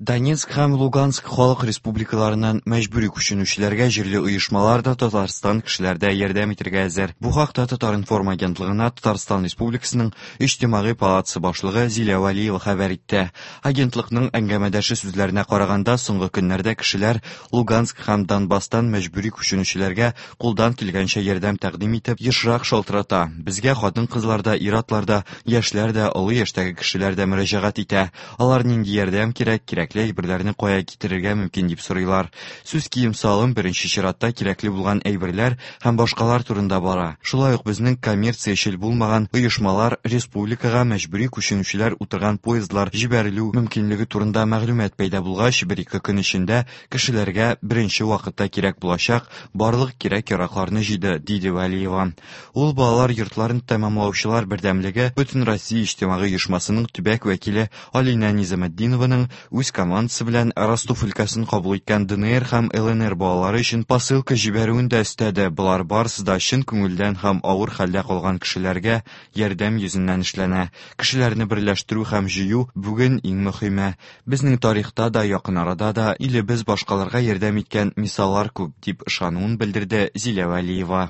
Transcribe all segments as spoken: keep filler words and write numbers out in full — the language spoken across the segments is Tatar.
Донецк һәм Луганск халык республикаларыннан мәҗбүри күченүчеләргә җирле оешмалар да, Татарстан кешеләре дә ярдәм итәргә әзер. Бу хакта Татар-информ агентлыгына Татарстан Республикасының Иҗтимагый палатасы башлыгы Зилә Вәлиева хәбәр итте. Агентлыкның әңгәмәдәше сүзләренә караганда, соңгы көннәрдә кешеләр Луганск һәм Донбасстан мәҗбүри күченүчеләргә кулдан килгәнчә ярдәм тәкъдим итеп, ешрак шалтырата. Безгә хатын-кызлар да, ир-атлар да, яшьләр дә, олы яшьтәге кешеләр дә мөрәҗәгать итә. Алар нинди ярдәм кирәк, кирәкле әйберләрне кая китерергә мөмкин дип сорыйлар. Сүз кием-салым, беренче чиратта кирәкле булган әйберләр һәм башкалар турында бара. Шулай ук безнең коммерциячел булмаган оешмалар республикага мәҗбүри күченүчеләр утырган поездлар җибәрелү мөмкинлеге турында мәгълүмат пәйда булгач, бер-ике көн эчендә кешеләргә беренче вакытта кирәк булачак барлык кирәк-яракларны җыйды, диде Вәлиева. Ул балалар йортларын тәмамлаучылар бердәмлеге Бөтенроссия иҗтимагый оешмасының төбәк вәкиле Алина Низаметдинованың үз командасы белән Ростов өлкәсен кабул иткән Д Н Р һәм Л Н Р балалары өчен посылка җибәрүен дә өстәде. Болар барысы да чын күңелдән һәм авыр хәлдә калган кешеләргә ярдәм йөзеннән эшләнә. Кешеләрне берләштерү һәм җыю бүген иң мөһиме. Безнең тарихта да, якын арада да илебез башкаларга ярдәм иткән мисаллар күп, дип ышануын белдерде Зилә Вәлиева.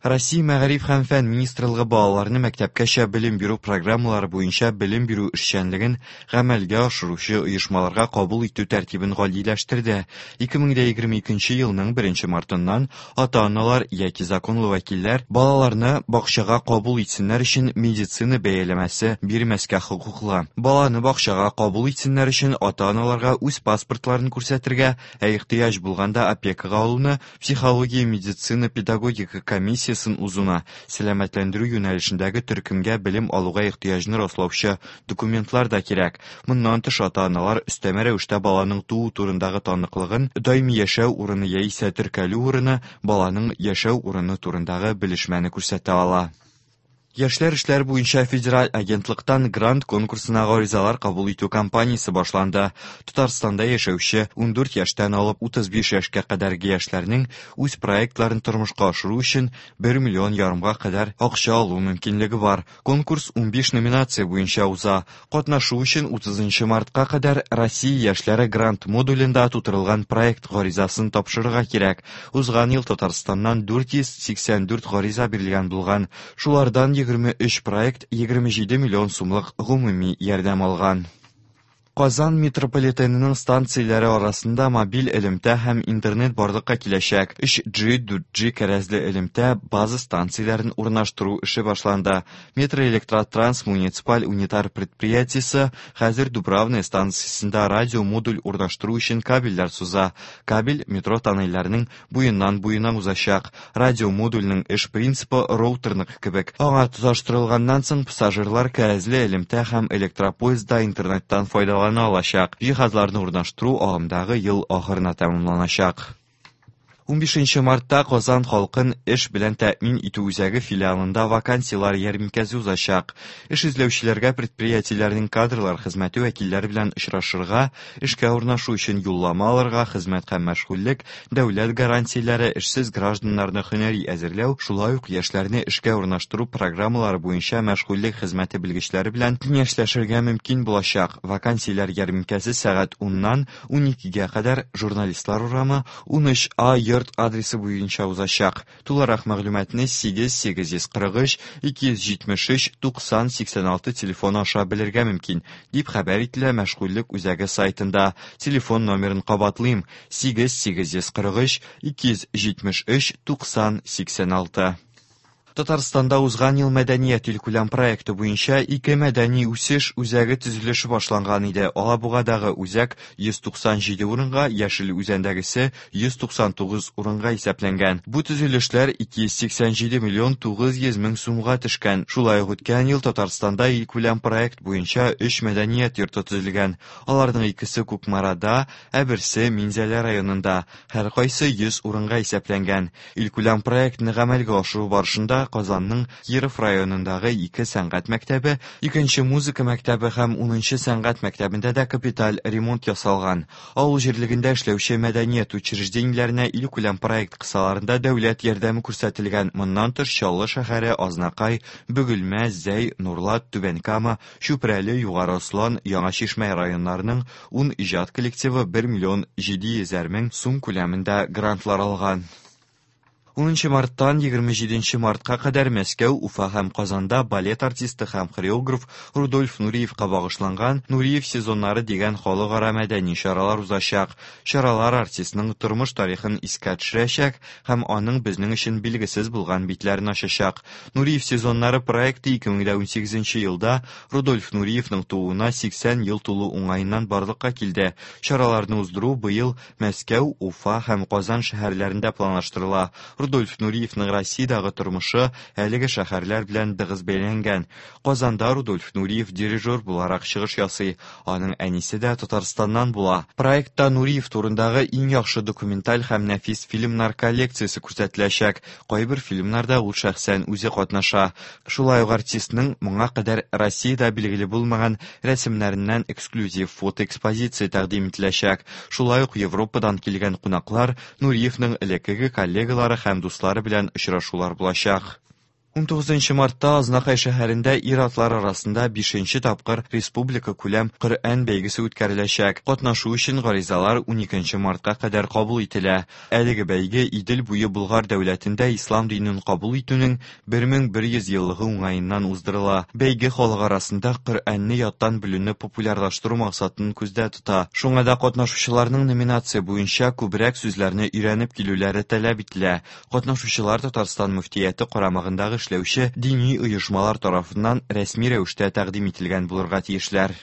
Россия Мәгариф һәм фән министрлыгы балаларны мәктәпкәчә белем бирү программалары буенча белем бирү эшчәнлеген гамәлгә ашыручы оешмаларга кабул итү тәртибен гадиләштерде. ике мең егерме икенче елның беренче мартыннан ата-аналар яки законлы вәкилләр балаларны бакчага кабул итсеннәр өчен медицина бәяләмәсе бирмәскә хокуклы. Баланы бакчага кабул итсеннәр өчен ата-аналарга үз паспортларын күрсәтергә, ә ихтыяҗ булганда опекага алуны, психология, медицина, педагогика комиссиясен узуны, сәламәтләндерү юнәлешендәге төркемгә белем алуга ихтыяҗны раслаучы документлар да кирәк. Моннан тыш, ата-аналар өстәмә рәвештә баланың туу турындагы таныклыгын, даими яшәү урыны яисә теркәлү урыны, баланың яшәү урыны турындагы белешмәне күрсәтә ала. Яшьләр эшләре буенча федераль агентлыктан грант конкурсына гаризалар кабул итү кампаниясе башланды. Татарстанда яшәүче ундүрт яшьтән алып утыз биш яшькә кадәрге яшьләрнең үз проектларын тормышка ашыру өчен бер миллион ярымга кадәр акча алу мөмкинлеге бар. Конкурс унбиш номинация буенча уза. Катнашу өчен утызынчы мартка кадәр Россия яшьләре грант модулендә тутырылган проект гаризасын тапшырырга кирәк. Узган ел Татарстаннан дүрт йөз сиксән дүрт гариза бирелгән булган. Шулардан егерме өч проект егерме җиде миллион сумлык гомуми ярдәм алган. Казан метрополитенының станцияләре арасында мобиль элемтә һәм интернет барлыкка киләчәк. өч G, дүрт G кәрәзле элемтә база станцияләрен урнаштыру эше башланды. Метроэлектротранс муниципаль унитар предприятиесе хәзер Дубравная станциясендә радиомодуль урнаштыру өчен кабельләр суза. Кабель метро тоннельләренең буеннан буена узачак. Радиомодульнең эш принципы роутерныкы кебек. Аңа тоташтырылганнан соң пассажирлар кәрәзле элемтә һәм электропоездда интернеттан файдалана алачак. Җиһазларны урнаштыру агымдагы ел ахырына тәмамланачак. Унбишенче мартта Казан халкын эш белән тәэмин итү үзәге филиалында вакансияләр ярминкәсе узачак. Эш эзләүчеләргә предприятиеләрнең кадрлар хезмәте вәкилләре белән очрашырга, эшкә урнашу өчен юллама алырга, хезмәт һәм мәшгульлек, дәүләт гарантияләре, эшсез гражданнарны һөнәри әзерләү, шулай ук яшьләрне эшкә урнаштыру программалары буенча мәшгульлек хезмәте белгечләре белән киңәшләшергә мөмкин булачак. Вакансияләр ярминкәсе сәгать уннан уникегә кадәр Журналистлар урамы унөч А йорт адресы буенча узачак. Тулырак мәгълүматны сигез сигез йөз кырык өч ике йөз җитмеш өч туксан сиксән алты телефоны аша белергә мөмкин, дип хәбәр ителә мәшгульлек үзәге сайтында. Телефон номерын кабатлыйм: сигез сигез йөз кырык өч ике йөз җитмеш өч туксан сиксән алты. Татарстанда узган ел мәдәният илкүләм проекты буенча ике мәдәни үсеш үзәге төзелеше башланган иде. Алабугадагы үзәк йөз туксан җиде урынга, Яшел Үзәндәгесе йөз туксан тугыз урынга исәпләнгән. Бу төзелешләр ике йөз сиксән җиде миллион тугыз йөз мең сумга төшкән. Шулай ук үткән ел Татарстанда илкүләм проект буенча өч мәдәният йорты төзелгән. Аларның икесе Кукмарада, ә берсе Минзәлә районында. Һәркайсы йөз урынга исәпләнгән. Илкүләм проектны гамәлгә ашыру барышында мартта Казанның Киров районындагы ике сәнгать мәктәбе, икенче музыка мәктәбе һәм унынчы сәнгать мәктәбендә дә капиталь ремонт ясалган. Авыл җирлегендә эшләүче мәдәният учреждениеләренә илкүләм проект кысаларында дәүләт ярдәме күрсәтелгән. Моннан тыш Чаллы шәһәре, Азнакай, Бөгелмә, Зәй, Нурлат, Түбән Кама, Чүпрәле, Югары Ослан, Яңа Чишмә районнарының ун иҗат коллективы бер миллион җиде йөзәр мең сум күләмендә грантлар алган. Унынчы марттан егерме җиденче мартка кадәр Мәскәү, Уфа һәм Казанда балет артисты һәм хореограф Рудольф Нуриевка багышланган Нуриев сезоннары дигән халыкара мәдәни чаралар узачак. Чаралар артистның тормыш тарихын искә төшерәчәк һәм аның безнең өчен билгесез булган битләрен ачачак. Нуриев сезоннары проекты ике мең унсигезенче елда Рудольф Нуриевның тууына сиксән ел тулу уңаеннан барлыкка килде. Чараларны уздыру быел Мәскәү, Уфа һәм Казан шәһәрләрендә планлаштырыла. Рудольф Нуриевның Россиядагы тормышы әлеге шәһәрләр белән тыгыз бәйләнгән. Казанда Рудольф Нуриев дирижер буларак чыгыш ясый. Аның әнисе дә Татарстаннан була. Проектта Нуриев турындагы иң яхшы документаль һәм нәфис фильмнар коллекциясе күрсәтеләчәк. Кайбер фильмнарда ул шәхсән үзе катнаша. Шулай ук артистның моңа кадәр Россиядә билгеле булмаган рәсемнәреннән эксклюзив фотоэкспозиция тәкъдим ителәчәк. Шулай ук Европадан килгән кунаклар Нуриевның элеккеге коллегалары һәм дуслары белән очрашулар булачак. Унтугызынчы мартта Азнакай шәһәрендә ир-атлар арасында бишенче тапкыр республика күләм Коръән бәйгесе үткәреләчәк. Катнашу өчен гаризалар уникенче мартка кадәр кабул ителә. Әлеге бәйге Идел буе Болгар дәүләтендә ислам динен кабул итүнең бер мең бер йөз еллыгы уңаеннан уздырыла. Бәйге халык арасында Коръәнне яттан белүне популярлаштыру максатын күздә тота. Шуңа да катнашучыларның номинация буенча күбрәк сүзләрне өйрәнеп килүләре таләп ителә. Катнашучылар Татарстан мөфтияте карамагындагы эшләүче дини оешмалар тарафыннан рәсми рәвештә тәкъдим ителгән булырга тиешләр.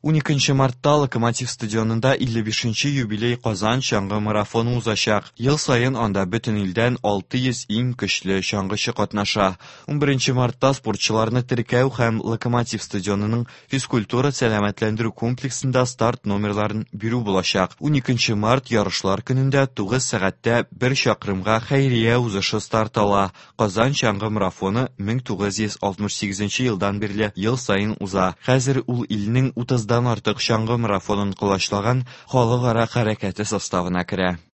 Уникенче мартта Локомотив стадионында илле бишенче юбилей Казан чаңгы марафоны узачак. Ел саен анда бөтен илдән алты йөз иң көчле чаңгычы катнаша. Унберенче мартта спортчыларны теркәү һәм Локомотив стадионының физкультура сәламәтләндерү комплексында старт номерларын бирү булачак. Уникенче март ярышлар көнендә тугыз сәгатьтә бер чакрымга хәйрия узышы старт ала. Казан чаңгы марафоны мең тугыз йөз алтмыш сигезенче елдан бирле ел саен уза. Хәзер ул илнең утыздан артык чаңгы марафонын колачлаган халыкара хәрәкәте составына керә.